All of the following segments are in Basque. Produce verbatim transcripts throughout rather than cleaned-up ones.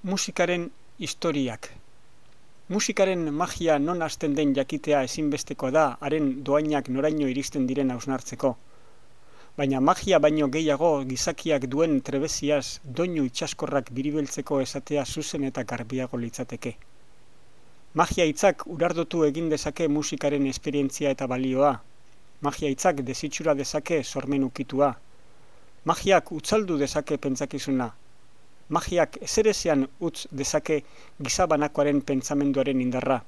Musikaren historiak. Musikaren magia non hasten den jakitea ezinbesteko da haren dohainak noraino iristen diren hausnartzeko. Baina magia baino gehiago gizakiak duen trebeziaz doinu itsaskorrak biribeltzeko esatea zuzen eta garbiago litzateke. Magia hitzak urardotu egin dezake musikaren esperientzia eta balioa. Magia hitzak desitxura dezake sormen ukitua. Magiak utzaldu dezake pentsakizuna. Magiak ezerezean utz dezake gizabanakoaren pentsamenduaren indarra.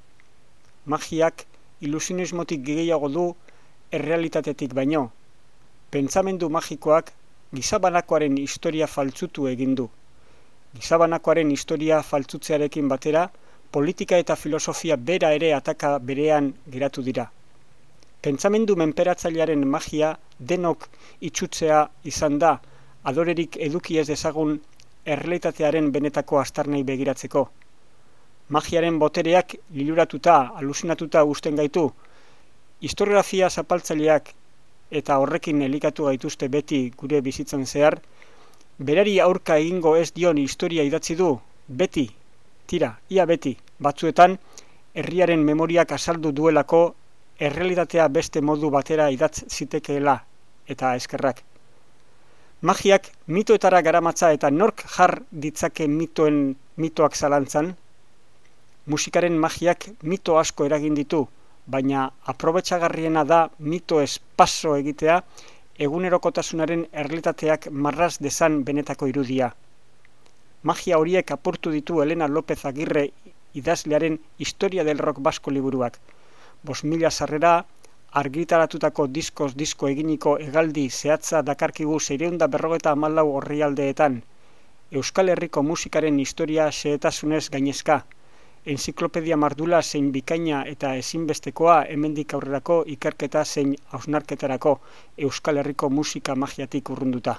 Magiak ilusionismotik gehiago du errealitatetik baino. Pentsamendu magikoak gizabanakoaren historia faltzutu egin du. Gizabanakoaren historia faltzutzearekin batera, politika eta filosofia bera ere ataka berean geratu dira. Pentsamendu menperatzailearen magia denok itsutzea izan da, adorerik eduki ez dezagun errealitatearen benetako astarnei begiratzeko. Magiaren botereak liluratuta, alusinatuta uzten gaitu, historiografia zapaltzaileak eta horrekin elikatu gaituzte beti gure bizitzan zehar, berari aurka egingo ez dion historia idatzi du, beti, tira, ia beti, batzuetan, herriaren memoriak azaldu duelako errealitatea beste modu batera idatz zitekeela, eta eskerrak. Magiak mitoetara garamatza eta nork jar ditzake mitoen mitoak zalantzan? Musikaren magiak mito asko eragin ditu, baina aprobetxagarriena da mito espaso egitea egunerokotasunaren errealitateak marraz dezan benetako irudia. Magia horiek apurtu ditu Elena López Agirre idazlearen Historia del Rock Basko liburuak. Bost mila sarrera, argitaratutako diskoz disko eginiko hegaldi zehatza dakarkigu seiehun eta berrogeita hamalau orrialdeetan. Euskal Herriko musikaren historia xehetasunez gainezka. Enziklopedia mardula zein bikaina eta ezinbestekoa hemendik aurrerako ikerketa zein hausnarketarako Euskal Herriko musika magiatik urrunduta.